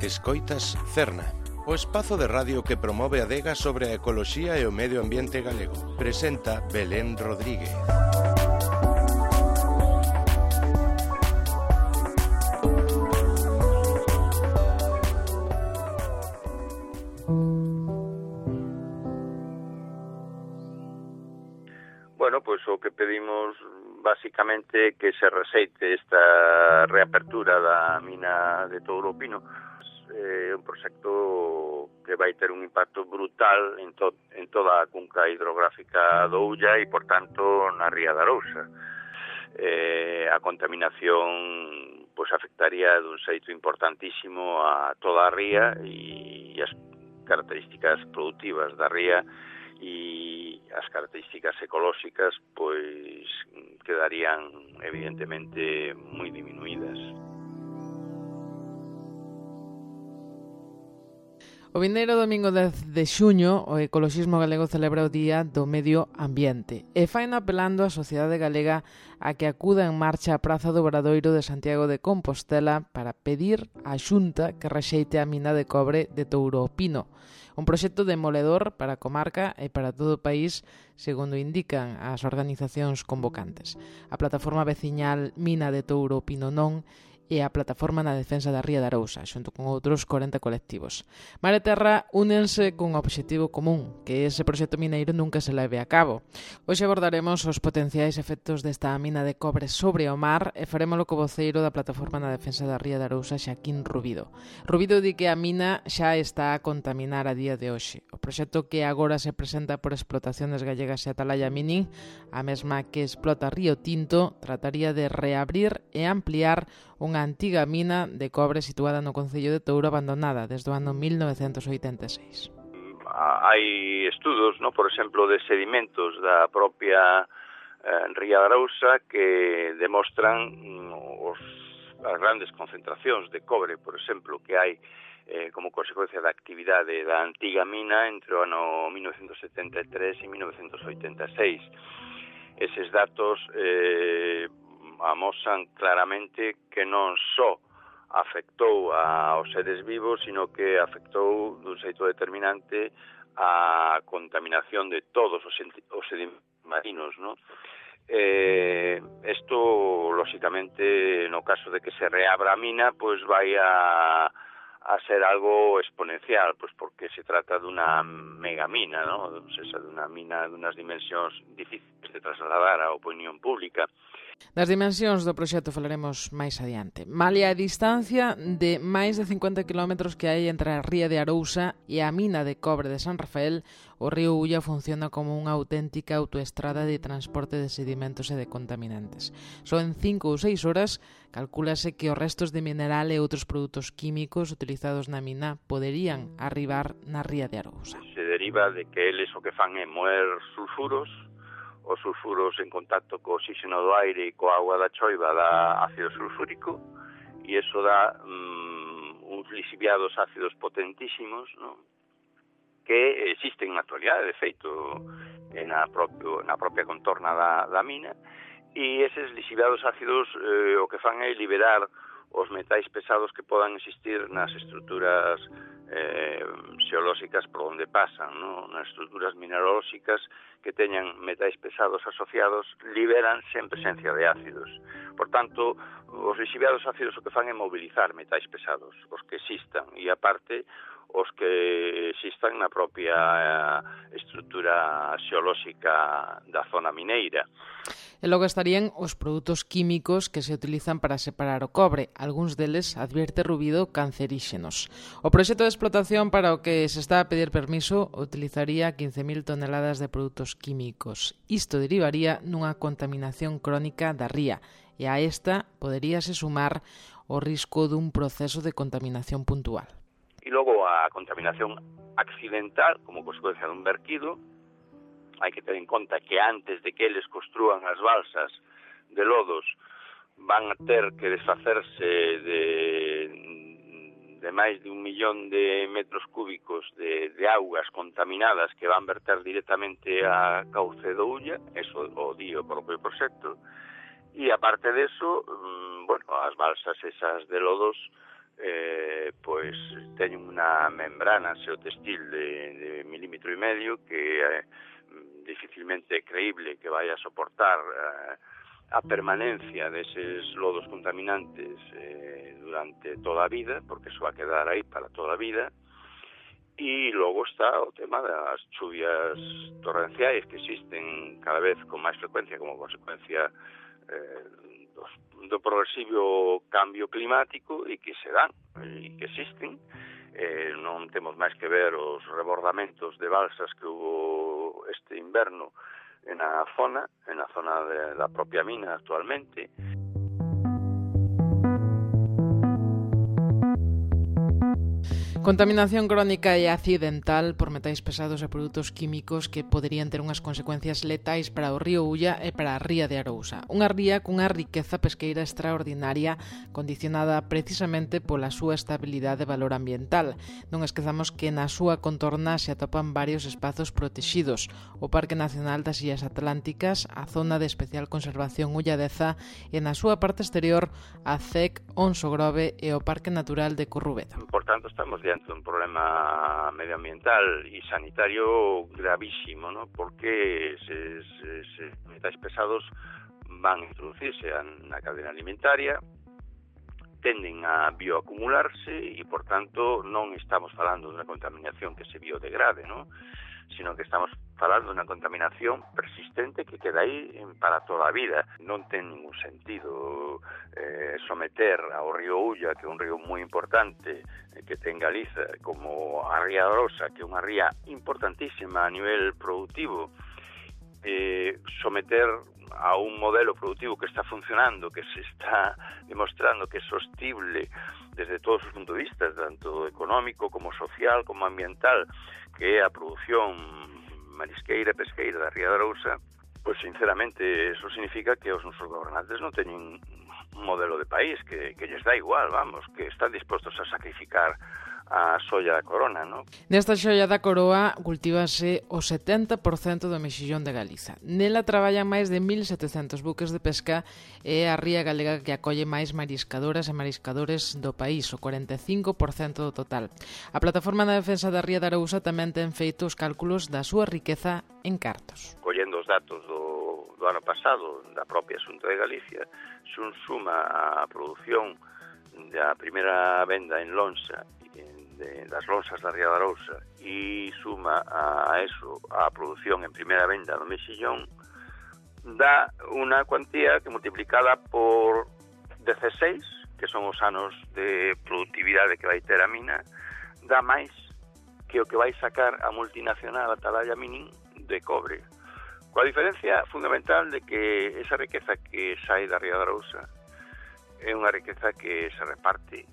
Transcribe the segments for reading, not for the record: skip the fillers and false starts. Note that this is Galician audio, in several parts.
Escoitas Cerna, o espazo de radio que promove a adega sobre a ecoloxía e o medio ambiente galego. Presenta Belén Rodríguez. Bueno, pois o que pedimos basicamente que se reseite esta reapertura da mina de Touro o Pino. É un proxecto que vai ter un impacto brutal en toda a cunca hidrográfica do Ulla e, por tanto, na ría da Arousa. A contaminación pois afectaría dun xeito importantísimo a toda a ría e as características productivas da ría e as características ecolóxicas pois quedarían evidentemente moi diminuídas. O vindeiro domingo 10 de xuño, o ecoloxismo galego celebra o Día do Medio Ambiente e faino apelando á sociedade galega a que acuda en marcha á Praza do Obradoiro de Santiago de Compostela para pedir á Xunta que rexeite a mina de cobre de Touro o Pino. Un proxecto demoledor para a comarca e para todo o país, segundo indican as organizacións convocantes. A plataforma veciñal Mina de Touro o Pino Non e a Plataforma na Defensa da Ría da Arousa, xunto con outros 40 colectivos. Mar e Terra únense cun obxectivo común, que ese proxecto mineiro nunca se leve a cabo. Hoxe abordaremos os potenciais efectos desta mina de cobre sobre o mar e farémolo co voceiro da Plataforma na Defensa da Ría da Arousa, Xaquín Rubido. Rubido di que a mina xa está a contaminar a día de hoxe. O proxecto que agora se presenta por Explotaciones Gallegas e Atalaya Mining, a mesma que explota Río Tinto, trataría de reabrir e ampliar unha antiga mina de cobre situada no concello de Touro abandonada desde o ano 1986. Hai estudos, por exemplo, de sedimentos da propia Ría da Arousa que demostran as grandes concentracións de cobre, por exemplo, que hai como consecuencia da actividade da antiga mina entre o ano 1973 e 1986. Eses datos amosan claramente que non só afectou aos seres vivos, sino que afectou dun xeito determinante a contaminación de todos os sedimentos marinos, Isto, lóxicamente, no caso de que se reabra a mina, pois vai a ser algo exponencial, pois porque se trata dunha megamina, ou seja, dunha mina dunhas dimensións difíciles de trasladar á opinión pública. Das dimensións do proxecto falaremos máis adiante. Malia a distancia de máis de 50 km que hai entre a ría de Arousa e a mina de cobre de San Rafael, o río Ulla funciona como unha auténtica autoestrada de transporte de sedimentos e de contaminantes. Só en 5 ou 6 horas calcúlase que os restos de mineral e outros produtos químicos utilizados na mina poderían arribar na ría de Arousa. Se deriva de que eles o que fan é moer sulfuros. Os sulfuros en contacto co oxígeno do aire e coa auga da choiva dá ácido sulfúrico e iso dá uns lixiviados ácidos potentísimos, que existen na actualidade, de feito, na propia contorna da mina, e eses lixiviados ácidos o que fan é liberar os metais pesados que podan existir nas estruturas xeolóxicas por onde pasan, nas estruturas mineralóxicas que teñan metais pesados asociados liberan sen presencia de ácidos. Por tanto, os lixiviados ácidos o que fan é mobilizar metais pesados, os que existan, e aparte os que existan na propia estrutura xeolóxica da zona mineira. E logo estarían os produtos químicos que se utilizan para separar o cobre, algúns deles, advierte Rubido, canceríxenos. O proxecto de explotación para o que se está a pedir permiso utilizaría 15.000 toneladas de produtos químicos. Isto derivaría nunha contaminación crónica da ría, e a esta poderíase sumar o risco dun proceso de contaminación puntual. E logo a contaminación accidental, como consecuencia dun verquido. Hai que ter en conta que antes de que eles construan as balsas de lodos van a ter que desfacerse de máis de 1 millón de metros cúbicos de augas contaminadas que van verter directamente a cauce do Ulla, eso o di o propio proxecto, e aparte deso, as balsas esas de lodos pois teñen unha membrana xeotextil de 1,5 milímetros que dificilmente é creíble que vai a soportar a permanencia deses lodos contaminantes durante toda a vida, porque eso va a quedar aí para toda a vida. E logo está o tema das chuvias torrenciais que existen cada vez con máis frecuencia como consecuencia do progresivo cambio climático e que se dan e que existen. Non temos máis que ver os rebordamentos de balsas que hubo este inverno na zona da propia mina actualmente. Contaminación crónica e accidental por metais pesados e produtos químicos que poderían ter unhas consecuencias letais para o río Ulla e para a ría de Arousa. Unha ría cunha riqueza pesqueira extraordinaria condicionada precisamente pola súa estabilidade e valor ambiental. Non esquezamos que na súa contorna se atopan varios espazos protexidos, o Parque Nacional das Illas Atlánticas, a Zona de Especial Conservación Ulladeza e na súa parte exterior a CEC Onso Grove e o Parque Natural de Corrubedo. Por tanto, estamos diante de un problema medioambiental e sanitario gravísimo, ¿no? Porque eses metais pesados van a introducirse na cadena alimentaria, tenden a bioacumularse e, por tanto, non estamos falando de unha contaminación que se biodegrade, ¿no? Sino que estamos falando de unha contaminación persistente que queda aí para toda a vida. Non ten ningún sentido someter ao río Ulla, que é un río moi importante que ten Galiza, como a ría de Arousa, que é unha ría importantísima a nivel productivo, someter a un modelo productivo que está funcionando, que se está demostrando que é sostible desde todos os puntos de vista, tanto económico como social como ambiental, que é a produción marisqueira e pesqueira da ría de Arousa, pois sinceramente eso significa que os nosos gobernantes non teñen un modelo de país, que lles dá igual, vamos, que están dispostos a sacrificar a xoia da corona, non? Nesta xoia da coroa cultívase o 70% do mexillón de Galiza. Nela traballan máis de 1.700 buques de pesca e a ría galega que acolle máis mariscadoras e mariscadores do país, o 45% do total. A Plataforma de Defensa da Ría de Arousa tamén ten feito os cálculos da súa riqueza en cartos. Collendo os datos do ano pasado da propia Xunta de Galicia, xun suma a produción da primeira venda en lonxa das lonxas da ría de Arousa e suma a eso a produción en primeira venda do mexillón, dá unha cuantía que multiplicada por 16, que son os anos de productividade que vai ter a mina, dá máis que o que vai sacar a multinacional Atalaya Mining de cobre. Coa diferencia fundamental de que esa riqueza que sai da ría de Arousa é unha riqueza que se reparte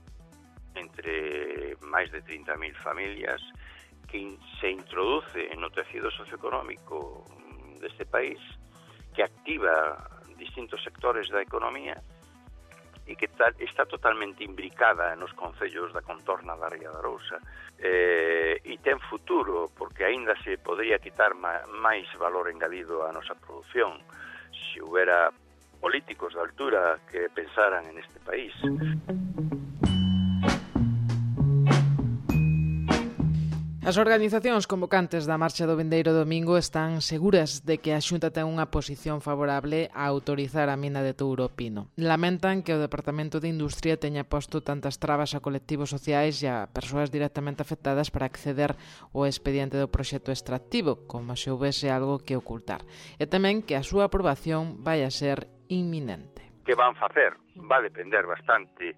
entre máis de 30.000 familias, que se introduce no tecido socioeconómico deste país, que activa distintos sectores da economía e que está totalmente imbricada nos concellos da contorna da ría de Arousa, e ten futuro, porque aínda se podría quitar máis valor engadido á nosa produción se houbera políticos de altura que pensaran en este país. As organizacións convocantes da marcha do vindeiro domingo están seguras de que a Xunta ten unha posición favorable a autorizar a mina de Touro Pino. Lamentan que o Departamento de Industria teña posto tantas trabas a colectivos sociais e a persoas directamente afectadas para acceder ao expediente do proxecto extractivo, como se houvese algo que ocultar. E tamén que a súa aprobación vai a ser inminente. Que van facer? Va a depender bastante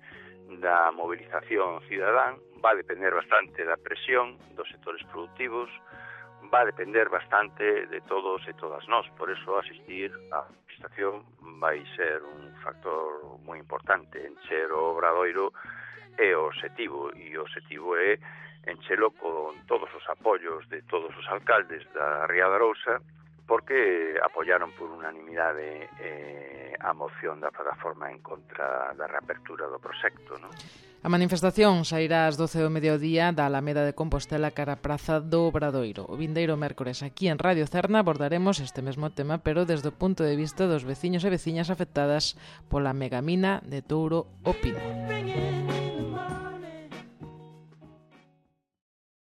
da movilización cidadán, va a depender bastante da presión dos sectores productivos, va a depender bastante de todos e todas nós. Por eso asistir á manifestación vai ser un factor moi importante. Encher o Obradoiro é o objetivo, e o objetivo é enchelo con todos os apoios de todos os alcaldes da Ría de Arousa, porque apoyaron por unanimidade a moción da plataforma en contra da reapertura do proxecto, non? A manifestación sairá ás 12 do mediodía da Alameda de Compostela cara a Praza do Obradoiro. O vindeiro mércores aquí en Radio Cerna abordaremos este mesmo tema, pero desde o punto de vista dos veciños e veciñas afectadas pola megamina de Touro Pino.